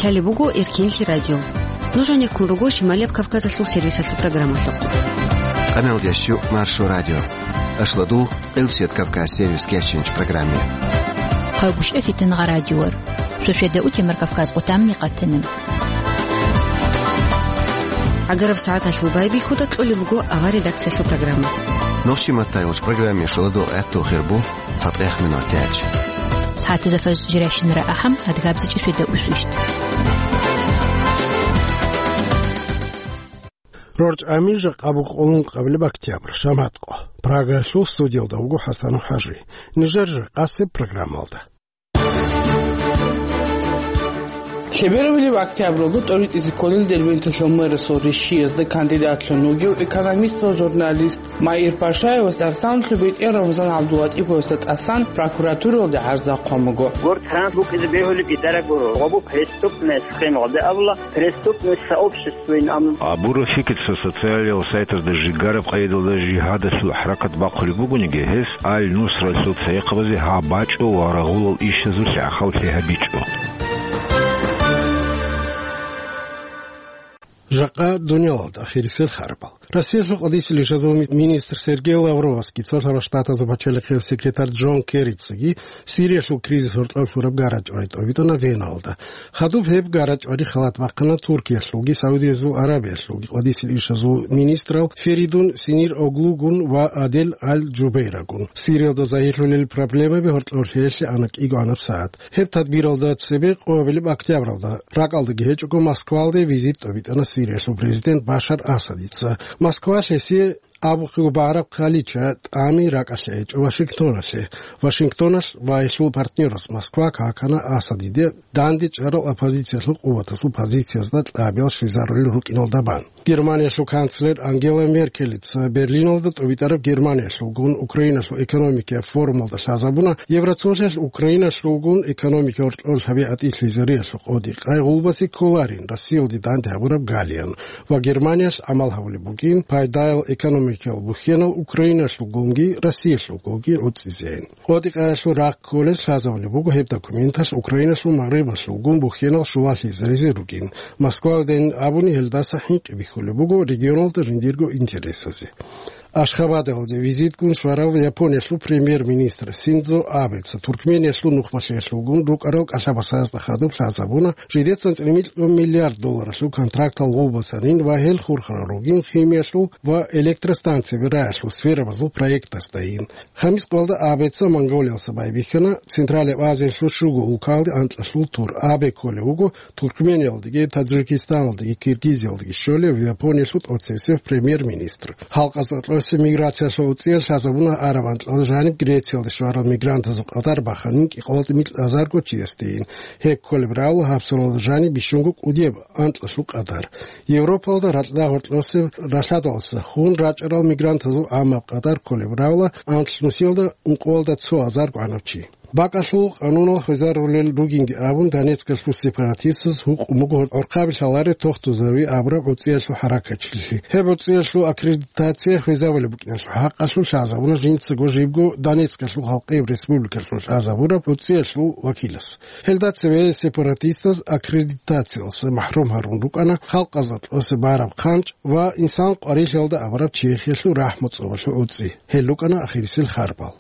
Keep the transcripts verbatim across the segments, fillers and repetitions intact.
Лъалеб буго Эркинлъи радио. Нуж гьанир ккун руго Шималияб Кавказалъул сервисалъул программалъухъ. Къаналдящу Маршо радио. Ашладу Къилсият Кавказ сервис кечинч программе. Хъавгушев Фитнагъа радиор. Шошеда утемар Кавказ къутамни къатанам. Агараб сагӀаталъул байбихьуда кьолеб буго авар редакциялъул программа. Нохчи маттайулч программе шоладу гӀатту хирбу. ЦатӀех минутач. СагӀатазда фажр жирашинара ахӀам, адгабзичӀи шведа усвищт. РорчӀами жакъа буго къолун къабилеб октябрь, шамат къо. Прагалъул студиялда вуго ХӀасан ХӀажи. Нижер жакъасеб программалда. Лъеберабилеб октябралда тӀоритӀизе кколел Дербенталъул мэрасул ришиязда кандидатлъун вугев экономист ва журналист Маир Пашаевас Арсанлъи бетӀер Рамзан ГӀабдулатӀиповасда тӀасан прокуратуралде гӀарза хъван буго. Гур транс букӀизе бегьулеб гьитӀараб гуро. Гъобу преступность хъин гъоде абула, преступность сообществоин ам. Абураб фикир цо социалиял сайтазда жигараб къайдалда жигьадалъул хӀаракат бахъулеб бугониги, гьес Аль-Нусралъул цайихъабазе гьаб бачӀо ва рагъулал ишазулъ гӀахьаллъи гьабичӀо. Жакъа дуниялалда ахирисел харбал. Россиялъул къадисел ишазул министр Сергей Лавровасги, Цолъарал Штатазул пачалихъияв секретарь Джон Керрицаги Сириялъул кризис гьоркьов лъураб гарачӀвай тӀобитӀана Веналда. Хадуб гьеб гарачӀвари халат бахъана Туркиялъулги Саудиязул Аравиялъулги къадисел ишазул министрал Феридун Синир Оглугун ва Адель Аль-Джубейрагун. Сириялда загьирлъулел проблемаби гьоркьов лъеялъе ана кӀиго гӀанаб сагӀат. Гьеб тадбиралда цебе къоабилеб октябралда ракӀалдаги гьечӀого Москвалде визит тӀобитӀана Сириялъул президент Башар Асадица. Москва гьесие абухъего багӀараб хъалича тӀами ракӀалъе гьечӀо Вашингтоналъе. Вашингтоналъ ва гьелъул партнераз Москва какана Асадиде данде чӀарал оппозициялъул къуватазул позициязда кьабиял щвезарулел рукӀиналда бан. Германиялъул канцлер Ангела Меркелица Берлиналда тӀобитӀараб Германиялъулгун Украиналъул экономикияб форумалда лъазабуна, Евроцолъиялъ Украиналъулгун экономика гьоркьор лъабигӀатӀи лъезариялъул къоди къайгъулбаси кколарин Россиялде данде гьабураб галиян ва Германиялъ гӀамал гьабулеб бугин пайдаял экономикиял бухьенал Украиналъулгунги Россиялъулгунги гӀуцӀизейин. КъотӀи-къаялъул рахъ кколез лъазабулеб буго гьеб документалъ Украиналъул магърибалъулгун бухьенал щулалъизаризе ругин. Москваялдайин абуни гьелдаса хӀинкъи бихьулеб буго регионалда жиндирго интересазе. Ашхабадалде визитгун щварав Япониялъул премьер-министр Синдзо Абеца Туркмениялъул нухмалъиялъулгун рукӀарал кӀалъабасазда хадуб лъазабуна жидецан цӀемилъун миллиард долларалъул контрактал гъулбасанин ва гьел хурхарал ругин химиялъул ва электростанцияби раялъул сферабазул проектасдайин. Хамис къоялда Абеца Монголиялса байбихьана, Централияб Азиялъул щуго улкалде анкьалъул тур. Абе кколев вуго Туркмениялдаги, Таджикистаналдаги, Киргизиялдаги щолев Япониялъул тӀоцевсев премьер-министр. Халкъазда кьосе миграциялъул уцӀиялъ лъазабуна араб анкьал жаниб Грециялде щварал мигрантазул къадар баханин кӀикъоялда микьазарго чиясдейин. Гьеб кколеб равла гьабсаналда жаниб бищунго кӀудияб анкьалъул къадар. Европалда ракьда гьоркьосеб ралъадалса хун рачӀарал мигрантазул гӀаммаб къадар кколеб равла анкьнусиялда ункъоялда цо азар гӀанав чи. БакӀалъул къанунал хвезарулел ругинги абун, Донецкалъул сепаратистаз гьукъун буго гӀорхъаби лъаларе тохтузави абураб гӀуцӀиялъул хӀаракатчилъи. Гьеб гӀуцӀиялъул аккредитация хвезабулеб букӀиналъул хӀакъалъулъ лъазабуна жинцаго жибго Донецкалъул халкъияб республикалъул лъазабураб гӀуцӀиялъул вакилас. Гьелда цеве сепаратистаз аккредитациялъа махӀрум гьарун рукӀана халкъазда кьосе бараб хъанчӀ ва инсан къварилъиялда абураб Чехиялъул рахӀму цӀобалъул гӀуцӀи. Гьел рукӀана ахирисел харбал.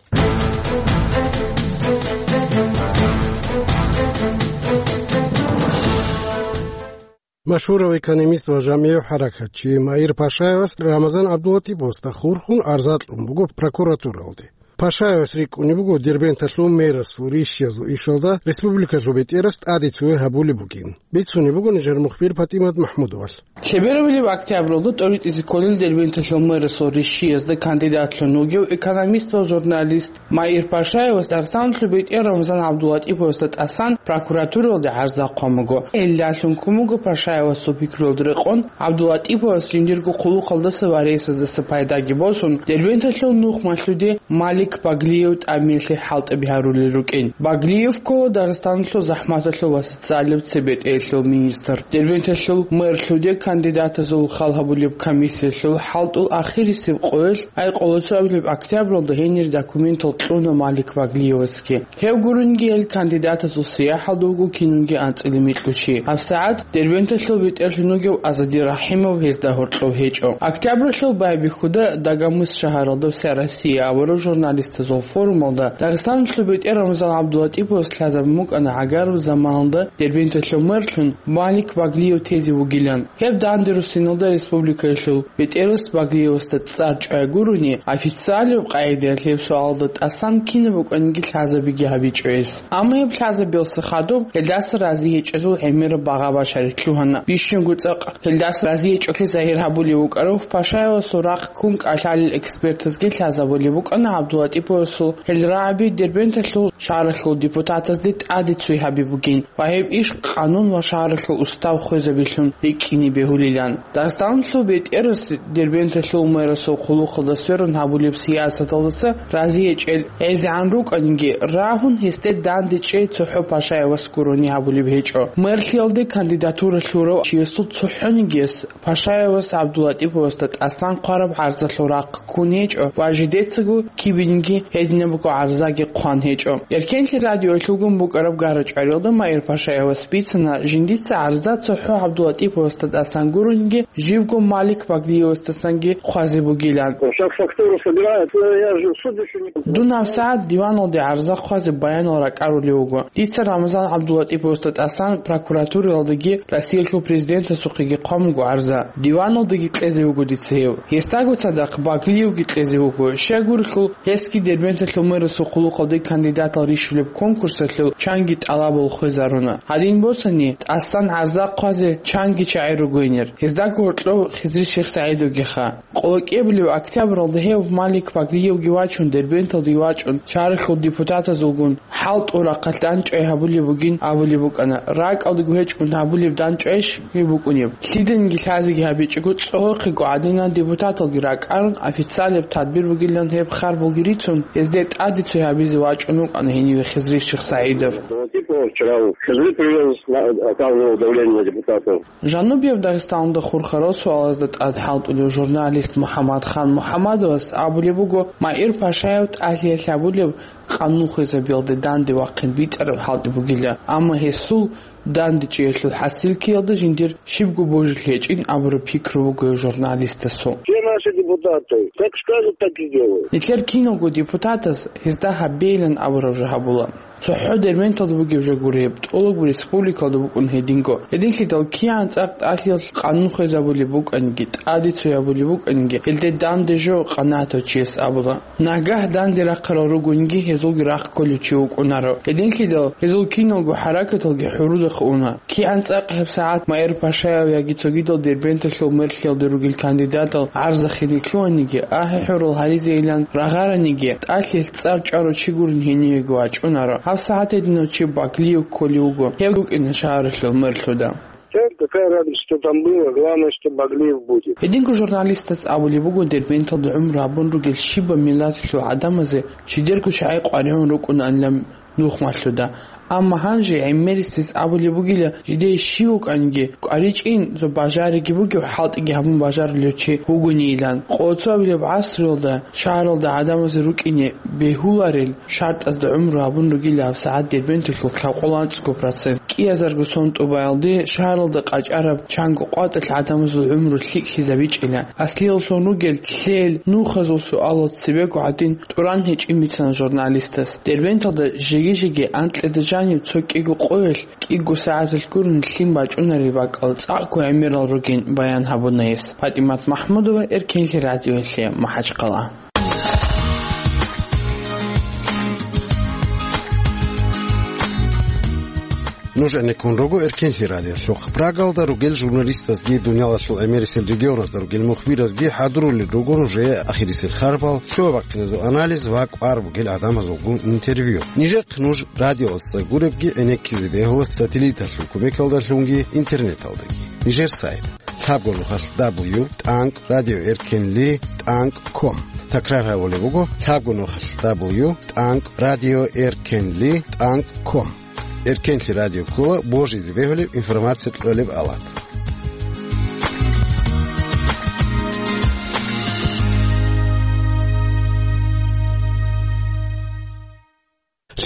Машгьурав экономист ва жамигӀив хӀаракатчи Маир Пашаевас Рамазан ГӀабдулатӀиповасда хурхун арза кьун буго прокуратуралде. Пашаевас рикӀкӀунеб буго Дербенталъул мэрасул ришиязул ишалда республикалъул бетӀерас тӀаде цеве гьабулеб бугин. Бицунеб буго нижер мухбир ПатӀимат МахӀмудовалъ. Лъеберабилеб октябралда тӀоритӀизе кколел Дербенталъул мэрасул ришиязда кандидатлъун вугев экономист ва журналист Маир Пашаевас Арсанлъи бетӀер Рамзан ГӀабдулатӀиповасда тӀасан прокуратуралде гӀарза хъван буго. Гьелдалъун ккун буго Пашаевасул пикруялда рекъон ГӀабдулатӀиповас жиндирго хъулухъалдаса ва рейсаздаса пайдаги босун, Дербенталъул нухмалъуде Малик Баглиев тӀамиялъе хӀалтӀаби гьарулел рукӀин. Баглиев ккола Дагъистаналъул захӀматалъул ва социалияб цебетӀеялъул министр. Дербенталъул мерлъуде кандидатазул хал гьабулеб комиссиялъул хӀалтӀул ахирисеб къоялъ, ай къоло цоабилеб октябралда гьенир документал кьуна Малик Баглиевасги. Гьев гурунги гьел кандидатазул сияхӀалда вуго кинунги анцӀила микьучи. ГьабсагӀат Дербенталъул бетӀерлъун вугев Азади Рахимов гьезда гьоркьов гьечӀо. Октябралъул байбихьуда Дагомыс шагьаралда «Вся Россия» абураб журналистазул форумалда Дагъистаналъул бетӀер Рамазан ГӀабдулатӀиповас лъазабун букӀана гӀагараб заманалда Дербенталъул мерлъун Малик Баглиев тезе вугилан. Гьеб данде руссиналда республикаялъул бетӀерас Баглиевасда цӀар чӀвай гурони, официалияб къагӀидаялъ гьеб суалалда тӀасан кинаб букӀаниги лъазабиги гьабичӀо гьес. Амма гьеб лъазабиялъа хадуб гьелдаса рази гьечӀезул гӀемераб багъа башарилъ лъугьана. Бищунго цӀакъ гьелдаса рази гьечӀолъи загьир гьабулев вукӀарав Пашаевасул рахъ ккун кӀалъалел экспертазги лъазабулеб букӀана ГӀабдулатӀиповасул гьел рагӀаби Дербенталъул шагьаралъул депутатазде тӀаде цой гьаби бугин ва гьеб иш къанун ва шагьаралъул устав хвезабилъун рикӀкӀине бегьулилан. Дагъистаналъул бетӀерас Дербенталъул мэрасул хъулухъалда сверун гьабулеб сиясаталдаса рази гьечӀел гӀезегӀан рукӀаниги, рагьун гьесде данде чӀей цохӀо Пашаевас гурони гьабулеб гьечӀо. Мерлъиялде кандидатура лъурав чиясул цохӀонигияс Пашаевас ГӀабдулатӀиповасда тӀасан хъвараб гӀарзалъул рахъ ккун гьечӀо ва жидецаго кибинги гьединабго гӀарзаги хъван гьечӀо. Эркенлъи радиоялъулгун букӀараб гара-чӀвариялда Маир Пашаевас бицана, жиндица гӀарза цохӀо ГӀабдулатӀиповасда тӀасан гурониги, живго Малик Баглиевасдасанги хъвазе бугилан. Сейчас фактуру собирают, но я же в суд ещё не... Дун гьабсагӀат диваналде гӀарза хъвазе баянал ракӀарулев вуго. Дица Рамазан ГӀабдулатӀиповасда тӀасан прокуратуралдаги Россиялъул президентасухъеги хъван буго гӀарза. Диваналдаги кьезе вуго дица гьев. Гьесдаго цадахъ Баглиевги кьезе вуго. Щайгурелъул, гьесги Дербенталъул мэрасул хъулухъалде кандидатал рищулеб конкурсалъул чанги тӀалабал хвезаруна. Гьадин босани, тӀасан гӀарза хъвазе чанги чагӀи ругойнир. Гьездаго гьоркьов Хизри Шихсагьидовгиха. Къоло кӀиабилеб октябралда гьев Малик Баглиевги вачун, Дербенталде вачӀун, шагьаралъул депутатазулгун хӀалтӀул рахъалъ дандчӀвай гьабулеб бугин абулеб букӀана. РакӀалдаго гьечӀун гьабулеб дандчӀвайищ гьеб букӀунеб? Лъиданиги лъазеги гьабичӀого, цӀолохъего гӀадинан депутаталги ракӀарун, официалияб тадбир бугилан гьеб харбалги рицун, гьезде тӀаде цой гьабизе вачӀун вукӀана гьениве Хизри Шихсагьидов. Типа вчера Хизри привез, на-, оказывал давление на депутатов. Жанубияб Дагъистаналда хурхарал суалазда тӀад хӀалтӀулев журналист МухӀаммадхан МухӀаммадовас абулеб буго, Маир Пашаев тӀалъиялъ гьабулеб къанун хвезабиялде данде вахъин битӀараб хӀалтӀи бугила, амма гьесул данде чӀеялъул хӀасил ккиялда жиндир щибго божулъ гьечӀин абураб пикру буго журналистасул. Все наши депутаты, как скажут, так и делают. Нилъер киналго депутатас гьезда гьабейилан абураб жо гьабула. ЦохӀо Дербенталда бугеб жо гуреб, тӀолабго республикалда букӀун гьединго. Гьединлъидал кигӀан цӀакъ тӀалъиялъ къанун хвезабулеб букӀаниги, тӀаде цой гьабулеб букӀаниги, гьелде данде жо къанагӀатав чияс абула. Нагагь данде рахъарал ругониги, гьезулги рахъ кколев чи вукӀунаро. Гьединлъидал гьезул киналго хӀаракаталги хӀурудахъ уна. КигӀан цӀакъ гьеб сагӀат Маир Пашаев яги цогидал Дербенталъул мерлъиялде ругел кандидатал гӀарзахине лъугьаниги, ахӀи-хӀурал гьаризейилан рагъараниги, тӀалъиялъ цӀар чӀварав чи гурин гьенивего вачӀунаро. Гьаб сагӀат гьединав чи Баглиев кколев вуго. Гьев вукӀина шагьаралъул мерлъуда. Всё, какая разница, что там было, главное, что Баглиев будет. Гьединго журналистас абулеб буго, Дербенталда гӀумру гьабун ругел щибаб миллаталъул гӀадамазе чидерго чагӀи къваригӀун рукӀунаанилан нухмалъуда. Амма гьанже гӀемерисез абулеб бугила, жидее щив вукӀаниги, къваригӀичӀин, цо бажариги бугев хӀалтӀиги гьабун бажарулев чи вугонийилан. Къоло цоабилеб гӀасруялда шагьаралда гӀадамазе рукӀине бегьуларел шартӀазда гӀумру гьабун ругила гьаб сагӀат Дербенталъул лъабкъоялда анцӀго процент. КӀиазарго сон тӀубаялде шагьаралда къачӀараб чанго къватӀалъ гӀадамазул гӀумру лъикӀлъизабичӀила. Аслиялъун ругел лъел, нухазул суалал цебего гӀадин тӀуран гьечӀин бицана журналистас. Дербенталда жеги-жеги анкьида жанив цо кӀиго къоялъ кӀиго сагӀаталъ гурун лъим бачӀунареб бакӀал цӀакъго гӀемерал ругин баян гьабуна гьес. ПатӀимат Махмудова, Эркенлъи радиоялъе, МахӀачхъала. Нуж гӀенеккун руго Эркенлъи радиолъухъ. Прагалда ругел журналистазги дуниялалъул гӀемерисел регионазда ругел мухбиразги хӀадурулел руго нужее ахирисел харбал, лъугьа-бахъиназул анализ ва кӀвар бугел гӀадамазулгун интервью. Нижехъ нуж радиоялдаса гуребги гӀенеккизе бегьула сателлиталъул кумекалдалъунги интернеталдаги. Нижер сайт: лъабго нухалъ дабл ю тӀанкӀ радио эркенлъи тӀанкӀ ком. Такрар гьабулеб буго, лъабго нухалъ: дабл ю тӀанкӀ радио эркенли тӀанкӀ ком. Эркенлъи радио ккола божизе бегьулеб информация кьолеб алат.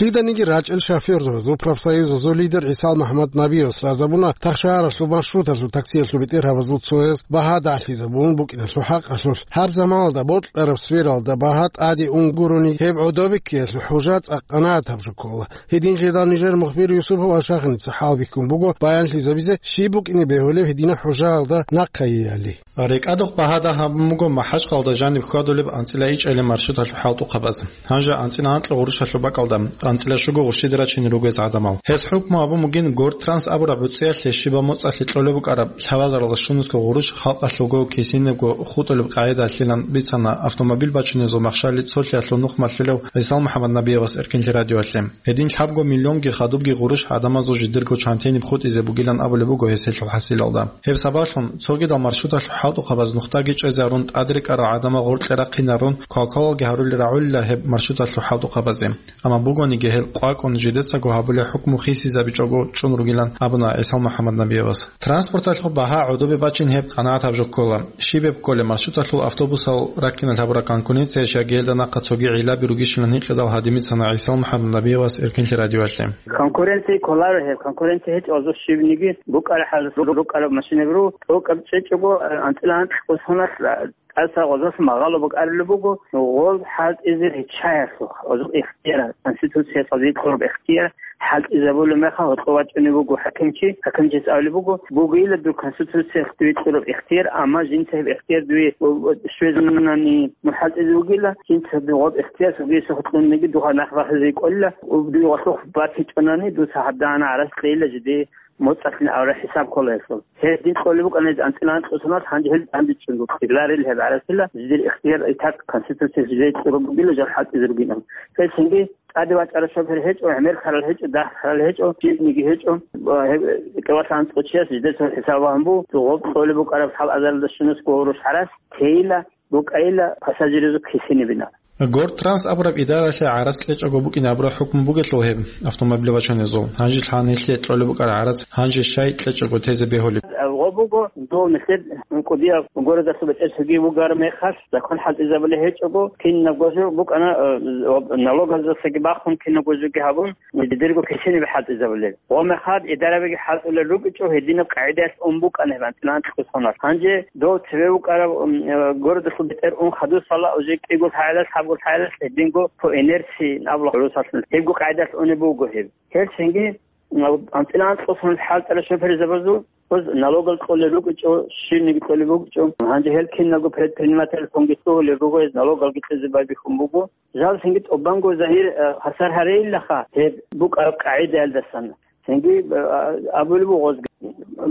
Лъиданиги рачӀел шофёрзабазул профсоюзазул лидер ГӀисал МухӀаммад Набиевас лъазабуна тахшагьаралъул маршруталъул таксиялъул бетӀергьабазул цояз багьа дагьлъизабун букӀиналъул хӀакъалъулъ, гьаб заманалда бокьараб сфералда багьа тӀаде ун гурони, гьеб гӀодобиккиялъул хӀужа цӀакъ къанагӀатаб жо ккола. Гьединлъидал нижер мухбир Юсупов Ашахиница хӀалбихьун буго баянлъизабизе щиб букӀине бегьулеб гьединаб хӀужаялда нахъайиали. РекӀадухъ багьа дагь гьабун буго МахӀачкъалда жаниб хьвадулеб анцӀила ичӀали маршруталъул хӀалтӀухъабаз. Гьанже анцӀила анкьа гъурущалъул бакӀалда анцӀила щуго гъурщиде рачине ругез гӀадамал. Гьес хӀукму гьабун бугин Гортранс абураб гӀуцӀиялъе щибаб моцӀалъе кьолеб букӀараб лъабазаралда щунусго гъурущ халкъалъулго кисинебго хутӀулеб къагӀидалъилан бицана автомобиль бачунезул махщали цолъиялъул нух малъулев ГӀисал МухӀаммад Набиевас Эркинлъи радиоялъе. Гьедин лъабго миллионги хадубги гъурущ гӀадамазул жидерго чантениб хутӀизе бугилан абулеб буго гьес гьелъул хӀасилалда. Гьеб сабаблъун цогидал маршруталъул хӀалтӀухъабаз нухдаги чӀезе гьарун, тӀадрекӀарал гӀадамал гъоркье рахъине гьарун, квалквалалги гьарулел рагӀулила гьеб маршруталъул хӀалтӀухъабазе. Амма бугониги гьел къвакӀун жидецаго гьабулеб хӀукму хисизабичӀого чӀун ругилан абуна ГӀисал МухӀаммад Набиевас. Транспорталъул багьа гӀодобе бачин гьеб къанагӀатаб жо ккола. Щиб гьеб кколеб маршруталъул автобусал раккиналъ гьабураб конкуренция щай гьелда нахъа цоги гӀиллаби ругищилан гьикъидал гьадин бицана ГӀисал МухӀаммад Набиевас Эркинлъи радиоялъе. Конкуренция кколаро гьеб. Конкуренция гьечӀо, гьазул щибниги букӀараб хӀал, рукӀараб машинаб ру, тӀокӀаб чӀечӀого, анцӀила анкь кӀусуналъ, тӀаса гъозалъ магъало букӀарулеб буго, гъол хӀалтӀизе риччаялъухъ, гъозул ихтияр, Конституциялъ гьезие кьураб ихтияр, хӀалтӀизабулеб мехалъ гьоркьов вачӀунев вуго хӀакимчи, хӀакимчияс абулеб буго, бугейила дур Конституциялъ дуе кьураб ихтияр, амма жинца гьеб ихтияр дуе щвезунани, мухӀалтӀизе вугила, жинца дугъаб ихтияр, цогиясухъ кьуниги дугьа нахъ бахизе кӀолила, дуе гъолъухъ батичӀонани, дуца гьаб дагьана гӀарац кьейила жиде моцӀалъин абураб хӀисаб ккола гьелъул. Гьедин кьолеб букӀана гьез анцӀила анкьусуналъ, гьанже гьел дандечӀун рукӀиналарел гьеб гӀарасила, жидер ихтияр итак Конституциялъ жидее кьураб бугила жал хӀалтӀизе ругинан. Гьел цинги тӀаде вачӀарал шофер гьечӀо, гӀемер ккарал гьечӀо, дагь ккарал гьечӀо, жибниги гьечӀо, ва гьеб кӀивалъ анцӀго чияс жидеца хӀисаб багьун буго, гъоб кьолеб букӀараб лъабазаралда щунусго гъурущ гӀарац, тейила, букӀайила пассажирзул кисинибина. Гортранс абураб идаралъе гӀарац кьечӀого букӀине абураб хӀукму бугелъул гьеб автомобиль бачунезул, гьанже лъан гьелъие кьолеб букӀараб гӀарац гьанже щай кьечӀого тезе бегьулеб? Гъо буго, дов нилъер кӀудияб городалъул бетӀер цоги вугар мехалъ, закон хӀалтӀизабулеб гьечӀого, кинабго жо букӀана, э, налогазасаги бахун, кинабго жоги гьабун, дидерго кисинибе хӀалтӀизабулел. Гъо мехалъ идарабиги хӀалтӀулел рукӀичӀо, гьединаб къагӀидаялъ ун букӀана гьеб анцӀила анкьусунал. Гьанже дов цеве вукӀарав, м, э, городалъул бетӀер ун хадусала, уже кӀиго лъагӀалалъ, лъабго лъагӀалалъ гьединго по инерции абула гӀурусалъ. Гьебго къагӀидаялъ унеб буго гьеб. Гьелчинги, м, анцӀила анкьусунал хӀалтӀарал шоферзабазул, гъоз налогал кьолел рукӀичӀо, щибниги кьолеб букӀичӀо. Гьанже гьел киналго предпринимательлъунги лъугьулел руго, гьез налогалги кьезе байбихьун буго. Жал цинги тӀубанго загьир, э, хвасар гьарейилаха гьеб букӀараб къагӀидаялдасан. Цинги, э, абулеб буго гъозги,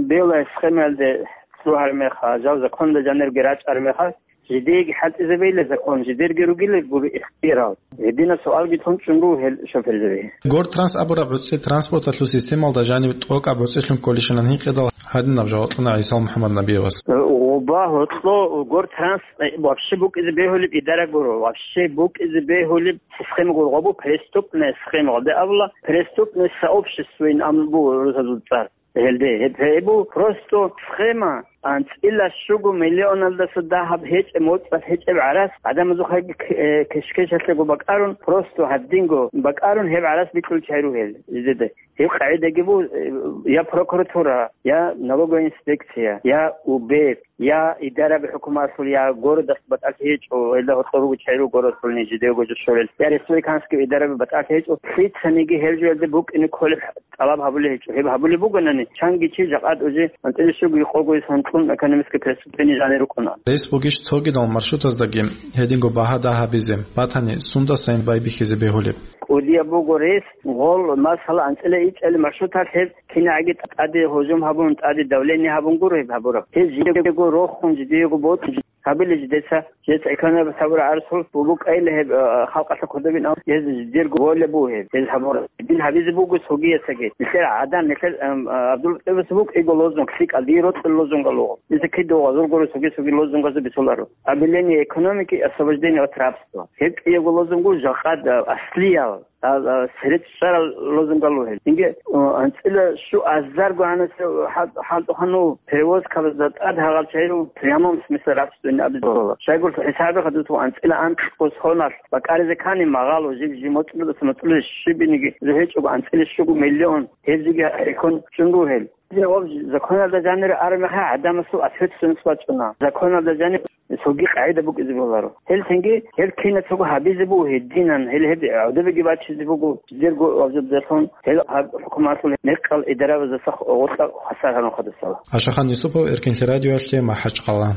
белая схемаялде лъугьар меха, жал законалда жанирги рачӀар меха, жидееги хӀалтӀизабейила закон, жидерги ругила гури ихтиярал. Гьединаб суалги тун чӀун руго гьел шоферзабие. Гортранс абураб гӀуцӀи транспорталъул системалда жаниб тӀокӀаб гӀуцӀилъун кколищилан гьикъидал гьадинаб жаваб кьуна ГӀисал МухӀаммад Набиевас. Гъоба гьоркьо Гортранс, э, вообще букӀизе бегьулеб идара гуро, вообще букӀизе бегьулеб система гуро, гъобу преступная схема, гъоде абула, преступное сообществоин абун буго рузазул цӀар. Гьелде, гьеб, гьеб бу просто схема, анцӀила щуго миллионалдаса дагьаб гьечӀеб, моцӀалъ гьечӀеб гӀарац, гӀадамазухъеги к-, э, кешкешалъего бакӀарун, просто гьадинго бакӀарун гьеб гӀарац бикьулел чагӀи ругел жидеда. Гьеб къагӀидаги бу, э, я прокуратура, я налоговая инспекция, я УБЭП, я идараби хӀукуматалъул, я городалъ батӀалъи гьечӀо, гьелда гьоркьор руго чагӀи руго городалъулни жидего жо щолел, я республиканский идараби батӀалъи гьечӀо, лъицаниги гьел жоялде букӀине кколеб тӀалаб гьабулеб гьечӀо. Гьеб гьабулеб бугонани, чанги чи жакъад уже анцӀила щуго къого ис гьанкьун экономическое преступление жанир рукӀуна. Рес бугищ цогидал маршрутаздаги гьединго багьа дагь гьабизе, батани, сундасайин байбихьизе бегьулеб? КӀудияб буго рес, гъол, масала, анцӀила ичӀали маршруталъ гьеб кинагӀаги тӀаде гьужум гьабун, тӀаде давление гьабун гуро гьеб гьабураб. Гьеб жидего рохун, жидего бокьун, Гьабилищ дица, дица экономика гьабураб гӀарцул букӀайилан гьеб, а, халкъалъул кодобин, ам, гьез жидерго воля буго гьеб, гьез гьабура. Дин гьабизе буго цогиясаги. Нилъер гӀадан, нилъер, ам, а, ГӀабдулмутӀалибас букӀиго лозунг, лъикӀал, дие рокьул лозунгал руго. Дица кида гъазур гуро цоги-цоги лозунгазул бицуларо. Объявление экономики, освобождение от рабства. Гьеб кӀиябго лозунг жакъа, а, аслиял. А, а, церет щварал лозунгал ругел. Инге, а, анцӀила щу азарго гьанасе хӀал-, хӀалтӀухъанул перевозкабазда тӀад гьагъал чагӀи прямом смысле рабствоин абизабула. Щайгурелъул хӀисабе хадуб анцӀила анкьго соналъ бакӀаризе ккани магъало жиб-жиб моцӀлудаса моцӀлузе щибиниги жо гьечӀого анцӀила щуго миллион гьеб жеги рекъон чӀун ругел. Гьеб законалда жанире араб мехалъ гӀадамасул ответственность бачӀуна. Законалда жанир цоги къагӀида букӀизе боларо. Гьел цинги, гьел кинацаго гьабизе буго гьединан, гьел гьеб гӀодобеги бачизе буго, жидерго гьабзабазалъун, гьел гьаб хӀукуматалъул мекъал идарабаздаса гъоркьа хвасар гьарун хадусала. Ашахан Юсупов, Эркенлъи радиоялъе, МахӀачхъала.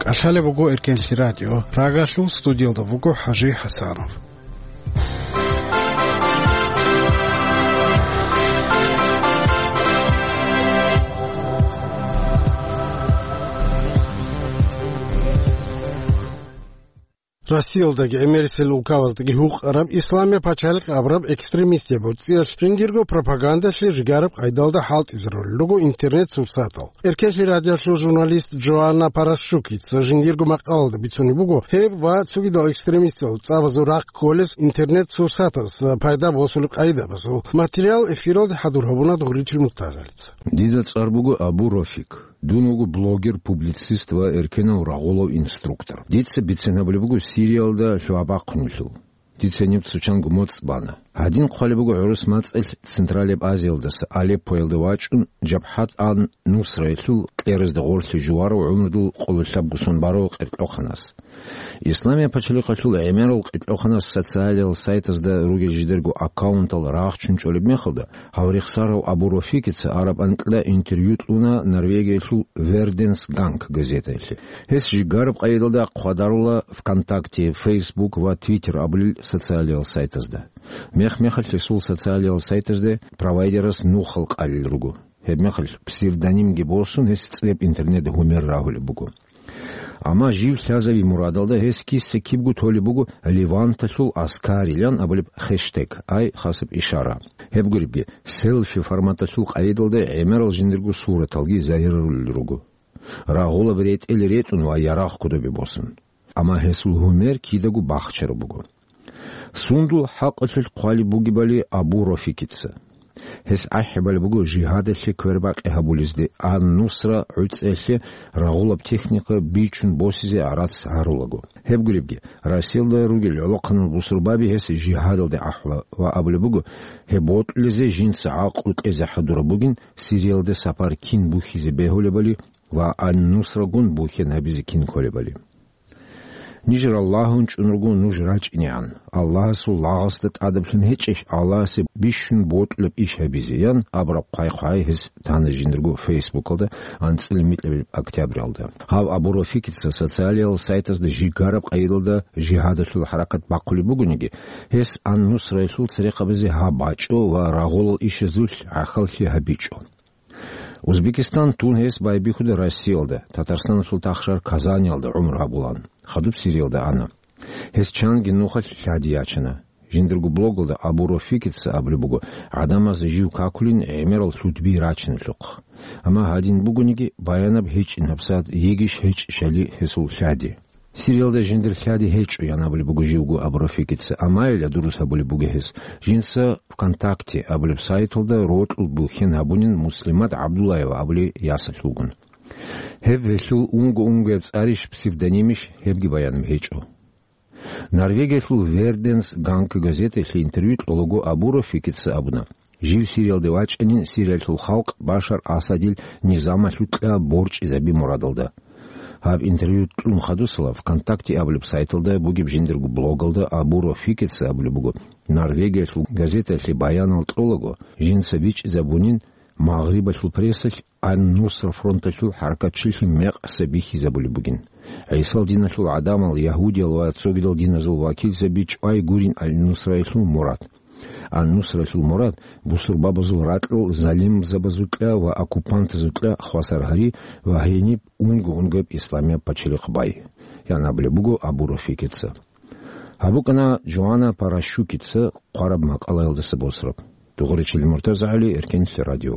КӀалъалеб буго Эркенлъи радио. Прагалъул студиялда буго ХӀажи ХӀасанов. Россиялдаги гӀемерисел улкабаздаги гьукъараб Исламияб пачалихъ абураб экстремистияб гӀуцӀиялъ жиндирго пропагандалъе жигараб къайдалда хӀалтӀизарулел руго интернет-сурсатал. Эркенлъи радиоялъул журналист Джоанна Парашчукица жиндирго макъалалда бицунеб буго, гьеб ва цогидал экстремистал цӀабазул рахъ кколес интернет-сурсатаз пайда босулеб къайдабазул материал эфиралде хӀадур гьабуна Дугъричил Муртазалица. Дида цӀар буго Абу Рофик. Дун вуго блогер, публицист ва эркенав рагъулав инструктор. Дица бицен гьабулеб буго Сириялда лъугьа-бахъунелъул. Дица гьениб цо чанго моцӀ бана. Гьадин хъвалеб буго гӀурус мацӀалъ Централияб Азиялдаса Алеппоялде вачӀун, Жабхат ан-Нусраялъул кьеразда гъорлъе жуварав гӀумрудул къоло лъабго сон барав къеркьоханас. Исламияб пачалихъалъул гӀемерал къеркьоханас социалиял сайтазда ругел жидерго аккаунтал рагъчун чӀолеб мехалда, гьав рехсарав Абу Рофикица араб анкьда интервью кьуна Норвегиялъул Верденс Ганг газетаялъе. Гьес жигараб къайдалда хъвадарула ВКонтакте, Facebook ва Twitter абулел социалиял сайтазда. Мех-мехалъ гьесул социалиял сайтазде провайдерас Нухал къалел руго. Гьебмехалъ псевдонимги босун, гьес цӀеб интернетда Гьумер рагьулеб буго. Амма жив лъазави мурадалда гьес киса-кибго толеб буго Леванталъул аскарилан абулеб хештег, ай хасаб ишара. Гьеб гуребги, селфи форматалъул къайдалда гӀемерал жиндирго сураталги загьирарулел руго. Рагъулаб ретӀел ретӀун ва ярагъ кодобе босун. Амма гьесул Гьумер кидаго бахчараб буго. Сундул хӀакъалъулъ хъвалеб бугебали Абу Рофикица. Гьес ахӀи балеб буго жигьадалъе квербакъи гьабулезде, ан-Нусра гӀуцӀиялъе рагъулаб техника бичун босизе гӀарац гьарулаго. Гьеб гуребги, Россиялда ругел гӀолохъанал бусурбаби гьес жигьадалде ахӀула ва абулеб буго, гьеб бокьулезе жинца гӀакълу кьезе хӀадураб бугин, Сириялде сапар кин бухьизе бегьулебали ва ан-Нусрагун бухьен гьабизе кин кколебали. Ниж Аллагьун чӀун руго нуж рачӀинегӀан. Аллагьасул лагъасда тӀадаблъун гьечӀищ Аллагьасе бищун бокьулеб иш гьабизе, ян абураб хъвай-хъвай гьес тана жиндирго Фейсбукалда анцӀила микьабилеб октябралда. Гьав Абу Рафикица социалиял сайтазда жигараб къайдалда жигьадалъул хӀаракат бахъулеб бугониги, гьес ан-Нусраялъул церехъабазе гьаб бачӀо ва рагъулал ишазулъ гӀахьаллъи гьабичӀо. Узбекистан тун гьес байбихьуда Россиялда, Татарстаналъул тахшар Казаниялда гӀумру гьабулан, хадуб Сириялда ана. Гьес чанги нухалъ лъади ячана. Жиндирго блогалда Абу Рафикица абулеб буго, гӀадамаз жив какулин гӀемерал лъудби рачиналъухъ. Амма гьадин бугониги, баянаб гьечӀин гьабсагӀат йигищ-гьечӀищали гьесул лъади. Сириялда жиндир лъади гьечӀо, ян абулеб буго живго Абу Рафикица, амма ила дурус гьабулеб буго гьес. Жинца ВКонтакте абулеб сайталда рокьул бухьен гьабунин Муслимат ГӀабдуллаева абулей ясалъулгун. Гьеб гьелъул унго-унгояб цӀарищ, псевдонимищ, гьебги баянаб гьечӀо. Норвегиялъул Верденс Ганг газеталъе интервью кьолаго Абу Рафикица абуна, жив Сириялде вачӀанин Сириялъул халкъ Башар Асадил низамалъукьа борчӀизаби мурадалда. Гьаб интервью кьун хадусала ВКонтакте абулеб сайталда бугеб жиндирго блогалда Абу Рафикица абулеб буго, Норвегиялъул газеталъе баянал кьолаго, жинца бичӀчӀизабунин Магърибалъул прессалъ Ан-Нусра фронталъул хӀаракатчилъи мекъса бихьизабулеб бугин. ГӀисал диналъул гӀадамал, ягьудиял ва цогидал диназул вакилзаби чӀвай гурин Ан-Нусраялъул мурад. ан-Нусралъул мурад бусурбабазул ракьал залимзабазукьа ва оккупантазукьа хвасар гьари ва гьениб унго-унгояб исламияб пачалихъ бай, ян абулеб буго Абу Рафикица. Гьаб букӀана Джоанна Паращукица хъвараб макъалаялдаса босараб. Дугъуричил МуртазагӀали, Эркенлъи радио.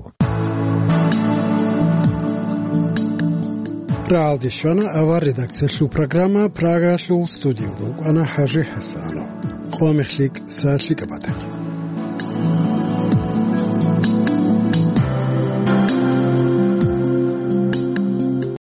Рагьалде щвана авар редакциялъул программа, Прагалъул студиялда вукӀана ХӀажи ХӀасанов. Къо мехлъи кӀса лъикӀаб батахъе.